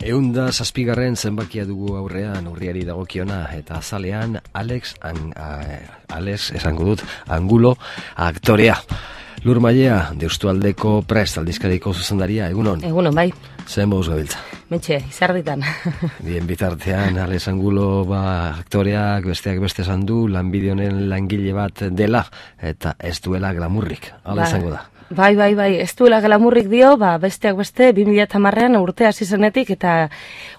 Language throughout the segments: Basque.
Eunda zazpigarren zenbakia dugu aurrean urriari dagokiona eta azalean Alex esango dut, Angulo aktorea. Lur Mailea, Deustualdeko Prest aldizkariko zuzendaria, egunon? Egunon, bai. Zer moz gabiltza? Mentxe, izarditan. Bien bitartean, Alex Angulo aktoreak besteak beste esan du, lanbide honen langile bat dela, eta ez duela glamurrik, hala izango da. Bai, ez duela glamurrik dio, besteak beste, 2010an urte hasi zenetik, eta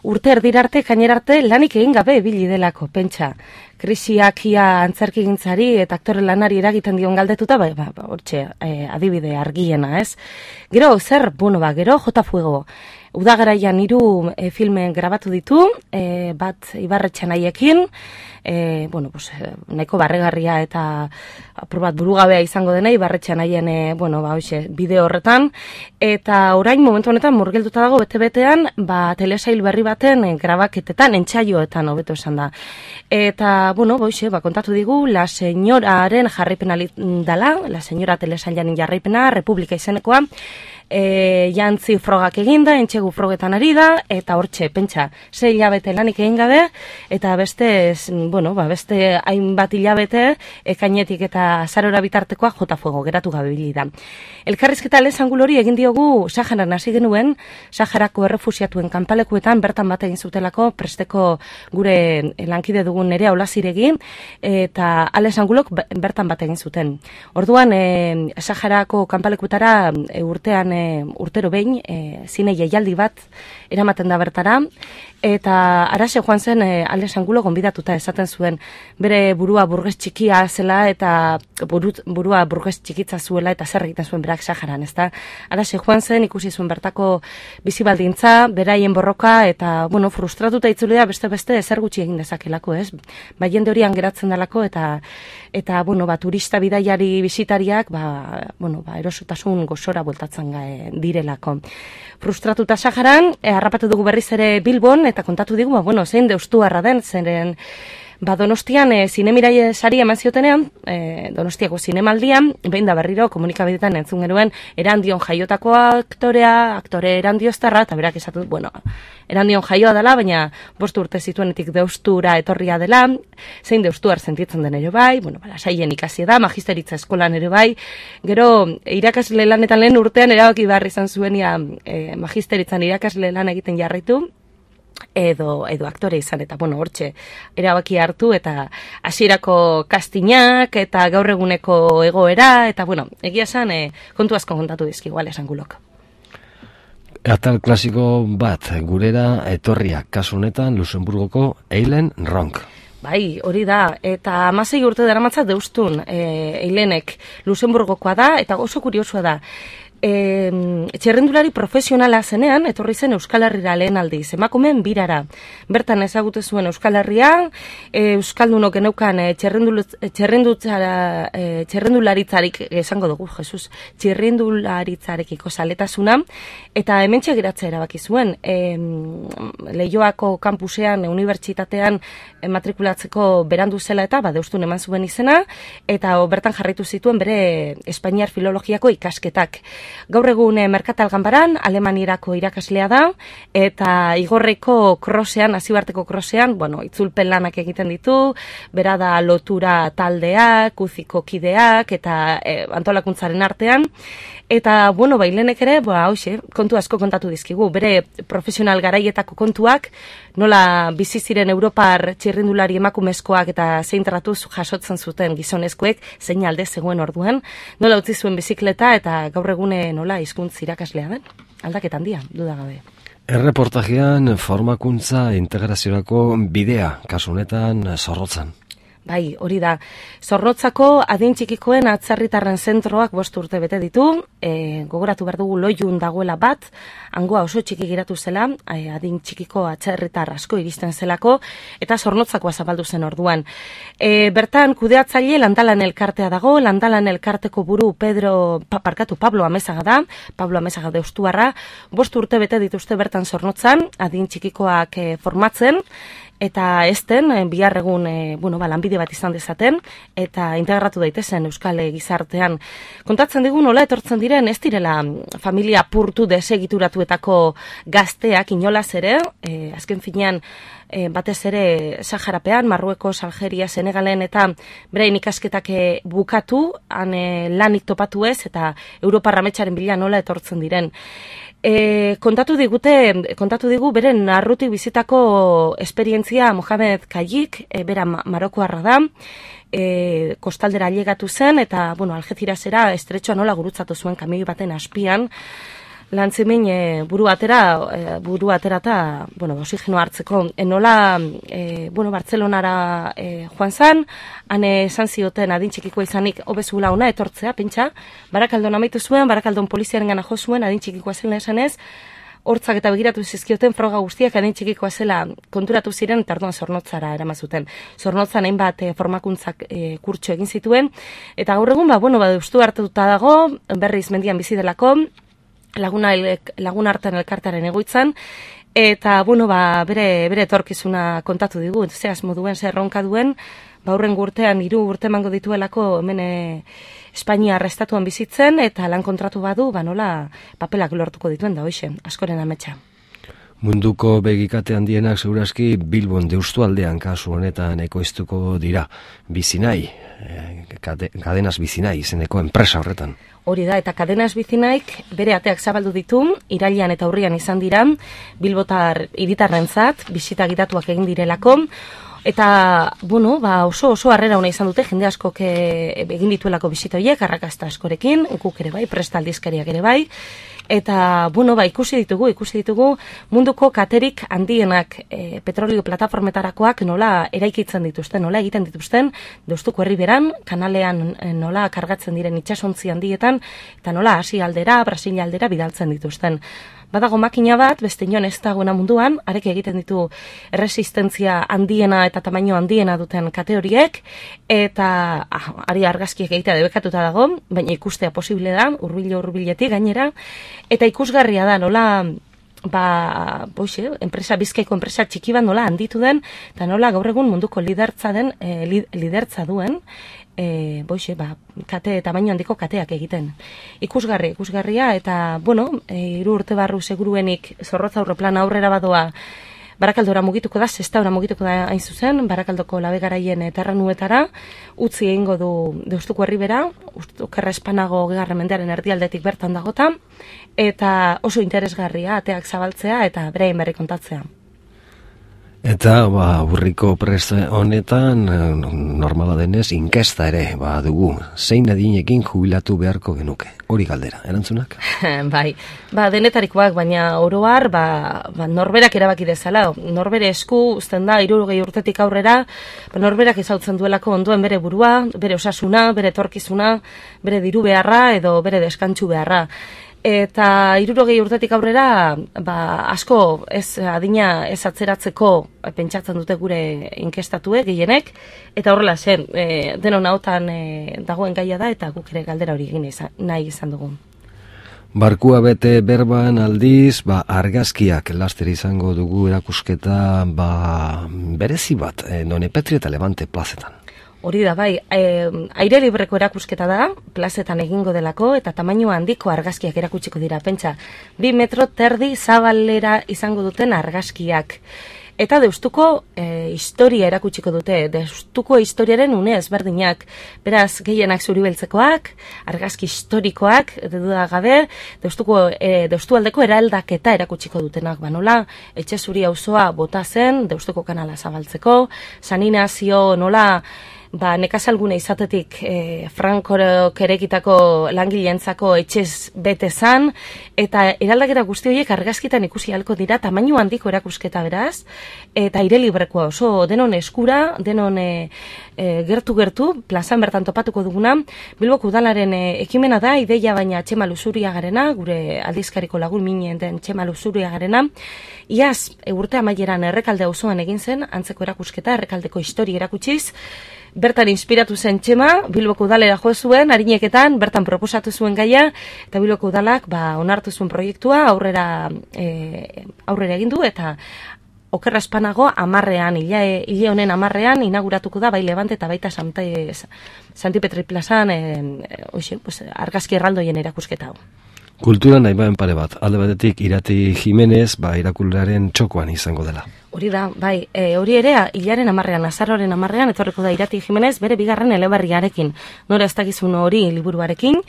urte erdirarte, kainerarte, lanik egin gabe ibili delako, pentsa. Krisiak ia antzerkigintzari eta aktore lanari eragiten dion galdetuta, hortxe, adibide argiena, ez? Gero, gero, Jota Fuego. Udagaraian 3 filmen grabatu ditu, bat Ibarretxe Nahiekin, nahiko barregarria eta aprobat burugabea izango dena, Ibarretxe Nahien, bideo horretan, eta orain momentu honetan murgilduta dago bete-betean, telesail berri baten grabaketetan, entsaioetan hobeto esan da. Eta, kontatu digu, La Señoraren jarraipena dala, La Señora telesailaren jarraipena, Republika izenekoa, jantzi frogak eginda, entxegu frogetan ari da, eta hortxe, pentsa, 6 hilabete lanik egin gabe, eta beste hainbat hilabete, ekainetik eta azarora bitartekoa Jota Fuego geratu gabe bili da. Elkarrizketa Alex Angulori egin diogu Saharan hasi genuen, Saharako errefusiatuen kanpalekuetan bertan bat egin zutelako, Presteko gure lankide dugun Nerea Olaziregi, eta Alex Angulok bertan bat egin zuten. Orduan, Saharako kanpalekutara urtero behin, zine jaialdi bat eramaten da bertara, eta arase joan zen Alex Angulo gonbidatuta esaten zuen bere burua burges txikia zela eta burua burges txikitza zuela eta zer egiten zuen berak Saharan, ezta? Arase joan zen ikusi zuen bertako bizibaldintza, beraien borroka eta frustratuta itzulea beste ezer gutxi egin dezakelako, ez? Jende horian geratzen dalako eta turista bidaiari bisitariak erosotasun gozora bueltatzen direlako. Frustratuta Saharan, harrapatu dugu berriz ere Bilbon, eta kontatu digu, zein deustuarra den, zeren Donostian zinemiraie sari eman ziotenean, Donostiako zinemaldian, behin da berriro komunikabidetan entzun genuen Erandion jaiotako aktore Erandioztarra, eta berak esatu, Erandion jaioa dela, baina 5 urte zituenetik deustura etorria dela, zein deustuar sentitzen den ere bai, saien ikasi da, magisteritza eskolan ere bai, gero irakasle lanetan lehen urtean erabaki behar izan zuenia magisteritzan irakasle lan egiten jarraitu, edo aktore izan, eta hortxe erabaki hartu, eta hasierako kastinak, eta gaur eguneko egoera, eta egia esan, kontu asko kontatu dizkigu Alex Angulok. Atal klasiko bat gurera etorriak, kasu honetan Luxemburgoko Eileen Ronk. Bai, hori da, eta 16 urte daramatza deustun Eilenek Luxemburgokoa da, eta oso kuriosua da. Txerrendulari profesionala zenean, etorri zen Euskal Herrira lehen aldiz, emakumeen birara. Bertan ezagute zuen Euskal Herria, Euskaldunok geneukan txerrendularitzarik, esango dugu, Jesus, txerrendularitzarekiko zaletasuna, eta hementxe geratzea erabaki zuen. Leioako kampusean, unibertsitatean matrikulatzeko berandu zela eta deustun eman zuen izena, eta bertan jarraitu zituen bere Espainiar filologiako ikasketak. Gaur egun Merkatal Ganbaran, Alemanierako irakaslea da, eta Igorreko krosean, Azibarteko krosean, itzulpen lanak egiten ditu, bera da lotura taldeak, uziko kideak, eta antolakuntzaren artean, eta, Eilenek ere, kontu asko kontatu dizkigu, bere profesional garaietako kontuak, nola bizi ziren Europar txirrindulari emakumezkoak eta zein tratuz jasotzen zuten gizonezkoek, zein alde zegoen orduan, nola utzi zuen bizikleta eta gaur egune nola hizkuntz irakaslea den, aldaketan handia, dudagabe. Erreportajean formakuntza integraziorako bidea, kasu honetan Zorrotzan. Bai, hori da. Zorrotzako adin txikikoen atzerritarren zentroak 5 urte bete ditu, gogoratu behar dugu Loiun dagoela bat, hangoa oso txiki geratu zela, adin txikiko atzerritar asko iristen zelako, eta Zornotzakoa zabaldu zen orduan. Bertan kudeatzaile Landalan elkartea dago, Landalan elkarteko buru Pablo Amezaga da, Pablo Amezaga deustuarra, 5 urte bete dituzte bertan Zornotzan, adin txikikoak formatzen, eta ezten bihar egun lanbide bat izan dezaten eta integratu daitezen euskal gizartean. Kontatzen digu nola etortzen diren ez direla familia apurtu desegituratuetako gazteak inolaz ere, azken finean batez ere Saharapean, Marruekos, Algeria, Senegalen eta berain ikasketak bukatu, han lanik topatu ez eta Europar ametsaren bila nola etortzen diren. Kontatu digu beren arrutik bizitako esperientzia Mohamed Kayik, bera Marokoarra da, kostaldera ailegatu zen eta Algeciras estretxoa nola gurutzatu zuen kamioi baten azpian, lantzemin buru atera eta oxigeno hartzeko. Nola Bartzelonara joan zan, han esan zioten adin txikikoa izanik hobezula ona etortzea, pentsa, Barakaldon amaitu zuen, Barakaldon poliziaren gana jo zuen, adin txikikoa zela esanez, hortzak eta begiratu zizkioten froga guztiak adin txikikoa zela konturatu ziren eta orduan Zornotzara eramazuten. Zornotzan hainbat formakuntzak kurtso egin zituen, eta gaur egun deustu hartuta dago, berriz mendian bizi delako, lagun hartan elkartaren egoitzan, eta bere etorkizuna kontatu digu, ze asmo duen, ze erronka duen, aurren urtean 3 urte emango dituelako hemen Espainia estatuan bizitzen, eta lan kontratu badu, nola papelak lortuko dituen da hoxe, askoren ametsa. Munduko begikate handienak segurazki Bilbon Deustualdean kasu honetan ekoiztuko dira. Bizinai, Cadenas Bizinai izeneko enpresa horretan. Hori da, eta Cadenas Bizinaik bere ateak zabaldu ditu, irailean eta urrian izan dira, bilbotar hiritarrentzat, bisita gidatuak egin direlako, eta, oso harrera ona izan dute, jende askok egin dituelako bisita horiek, arrakasta askorekin, guk ere bai, presta aldizkariak ere bai, eta, ikusi ditugu munduko katerik handienak petrolio plataformetarakoak nola eraikitzen dituzten, nola egiten dituzten, Deustuko herriberan, kanalean nola kargatzen diren itsasontzi handietan, eta nola Asia aldera, Brasil aldera bidaltzen dituzten. Badago makina bat, beste inon ez dagoena munduan, arek egiten ditu resistentzia handiena eta tamaino handiena duten kate horiek, eta ari argazkiek egitea debekatuta dago, baina ikustea posible da, hurbiletik gainera, eta ikusgarria da nola, Bizkaiko enpresa txiki bat nola handitu den, eta nola gaur egun munduko lidertza duen, kate tamaino handiko kateak egiten. Ikusgarria, eta, 3 urte barru seguruenik Zorrotza aurreplana aurrera badoa, Barakaldora mugituko da, Sestaura mugituko da hain zuzen, Barakaldoko labegaraien terranuetara, utzi egingo du Deustuko herribera, okerra espanago 2. mendearen erdialdetik bertan dagota, eta oso interesgarria ateak zabaltzea eta beraien berri kontatzea. Eta, burriko prest honetan, normala denez, inkesta ere, dugu, zein adinekin jubilatu beharko genuke. Hori galdera, erantzunak? Bai, denetarikoak, baina oroar, norberak erabaki dezala. Norbere esku, uzten da, 60 urtetik aurrera, norberak izautzen duelako onduen bere burua, bere osasuna, bere etorkizuna, bere diru beharra edo bere deskantsu beharra. Eta 60 urtetik aurrera, asko adina ez atzeratzeko pentsatzen dute gure inkestatuek, gehienek, eta horrela zen, denon hautan dagoen gaia da, eta guk ere galdera hori egin nahi izan dugu. Barkua bete berban aldiz, argazkiak laster izango dugu erakusketa, berezi bat, Done Petri eta Levante plazetan. Hori da, bai, aire libreko erakusketa da, plazetan egingo delako, eta tamaino handiko argazkiak erakutsiko dira, pentsa, 2 metro terdi zabalera izango duten argazkiak. Eta Deustuko historia erakutsiko dute, Deustuko historiaren une ezberdinak, beraz gehienak zuribeltzekoak, argazki historikoak, duda gabe, Deustualdeko eraldaketa erakutsiko dutenak, nola, etxe zuri auzoa bota zen, Deustuko kanala zabaltzeko, San Inazio nola, nekazalgune izatetik Frankorok erekitako langileentzako etxez bete zan, eta eraldaketa guzti horiek argazkitan ikusi ahalko dira, tamaino handiko erakusketa beraz, eta aire librekoa oso denon eskura, denon gertu, plazan bertan topatuko duguna, Bilboko udalaren ekimena da, ideia baina Txema Luzuriagarena, gure aldizkariko lagun minen den Txema Luzuriagarena, iaz urte amaieran Errekalde auzoan egin zen, antzeko erakusketa, Errekaldeko historia erakutsiz, bertan inspiratu zen Txema, Bilboko udalera jo zuen, harineketan, bertan proposatu zuen gaia, eta Bilboko udalak onartu zuen proiektua, aurrera egin du, eta okerra espanago 10ean, hile honen 10ean inauguratuko da bai Levante eta baita Santi Petri plazan argazki erraldoien erakusketa hau. Kultura nahi baen pare bat, alde batetik Irati Jimenez, irakurlearen txokoan izango dela. Hori da, bai, hori ere, hilaren 10ean, azaroaren 10ean, etorriko da Irati Jimenez, bere bigarren eleberriarekin, nora ez dakizun hori liburuarekin,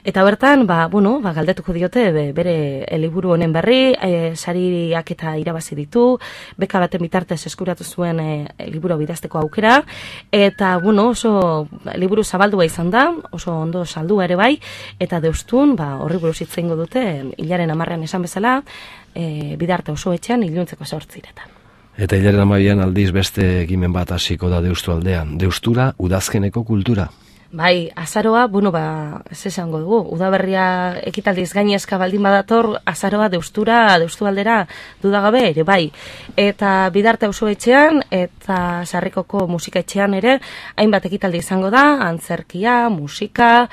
eta bertan, galdetuko diote bere liburu honen berri, sariak eta irabazi ditu, beka baten bitartez eskuratu zuen liburu bidazteko aukera, eta, oso liburu zabaldua izan da, oso ondo saldua ere bai, eta deustun, horri buruz hitz egingo dute, hilaren 10ean esan bezala, bidarte oso etxean, iluntzeko 8 Eta hilaren 12ean aldiz beste ekimen bat hasiko da Deustu aldean. Deustura, udazkeneko kultura. Bai, azaroa, ez esango dugu, udaberria ekitaldiz gainezka baldin badator, azaroa Deustu aldera dudagabe ere, bai. Eta bidarte auzo etxean, eta Sarrikoko musika etxean ere, hainbat ekitaldi izango da, antzerkia, musika,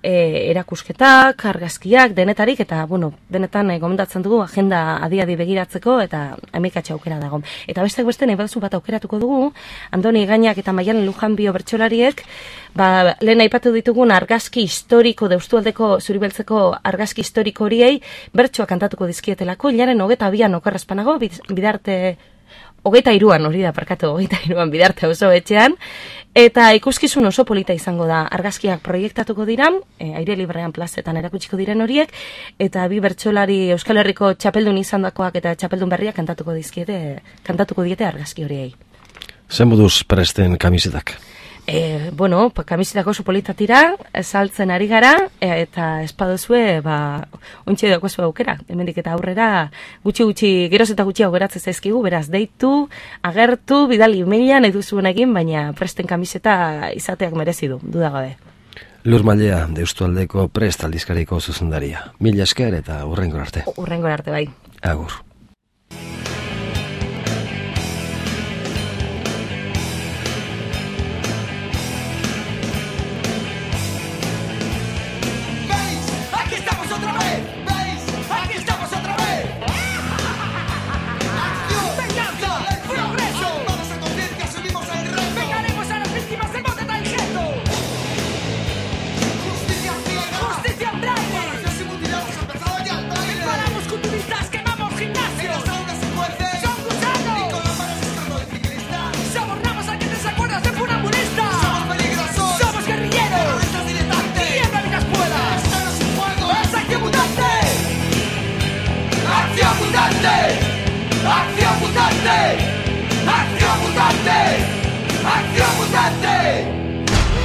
erakusketak, argazkiak, denetarik, eta, benetan gomendatzen dugu, agenda adi-adi begiratzeko, eta emikatxe aukera dago. Eta besteak beste, nahi baduzu bat aukeratuko dugu, Andoni Gainak eta Maialen Lujanbio bertsolariek, lehen aipatu ditugun argazki historiko, Deustualdeko Zuribeltzeko argazki historiko horiei bertsoa kantatuko dizkietelako, hilaren 22an okerrezpanago, bidarte 23an hori da, 23an bidarte oso etxean, eta ikuskizun oso polita izango da, argazkiak proiektatuko dira, aire librean plazetan erakutsiko diren horiek, eta bi bertsolari Euskal Herriko txapeldun izandakoak eta txapeldun berriak kantatuko diete argazki horiei. Zen moduz presten kamisetak? Kamisetak oso politatira, saltzen ari gara, eta espadozue, ontsi dagozu aukera. Hemendik eta aurrera, gutxi, geroz eta gutxi augeratzen zaizkigu, beraz, deitu, agertu, bidali emailean, nahi duzuen egin, baina presten kamiseta izateak merezi du, dudagabe. Lur Mailea, Deustualdeko Prest aldizkariko zuzendaria. Mila esker eta hurrengor arte. Hurrengor arte, bai. Agur. ¡Acción mutante!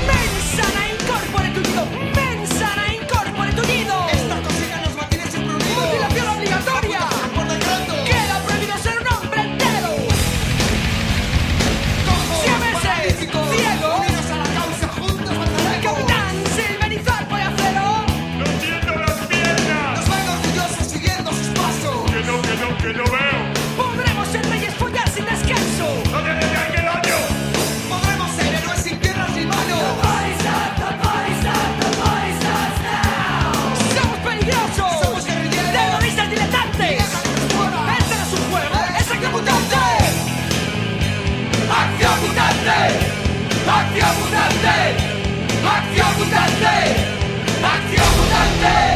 ¡Mensana incorpore tullido! ¡Mensana incorpore tullido! Esta cocina nos mantiene siempre unidos. ¡Mutilación obligatoria! ¡Por decreto! ¡Queda prohibido ser un hombre entero! ¡Siameses! ¡Ciego! ¡Unidos a la causa! ¡Juntos venceremos! ¡Capitán Silverizar por acero! ¡No siento las piernas! ¡Nos ven orgullosos siguiendo sus pasos! ¡Que no veo! ¡Podremos ser reyes follar sin descanso! ¡No te dejes que daño! ¡Podremos ser héroes sin piernas ni manos! ¡Somos peligrosos! ¡Somos guerrilleros! ¡Terroristas diletantes! ¡Este no es un juego! ¡Es acción mutante! ¡Acción mutante! ¡Acción mutante! ¡Acción mutante! ¡Acción mutante!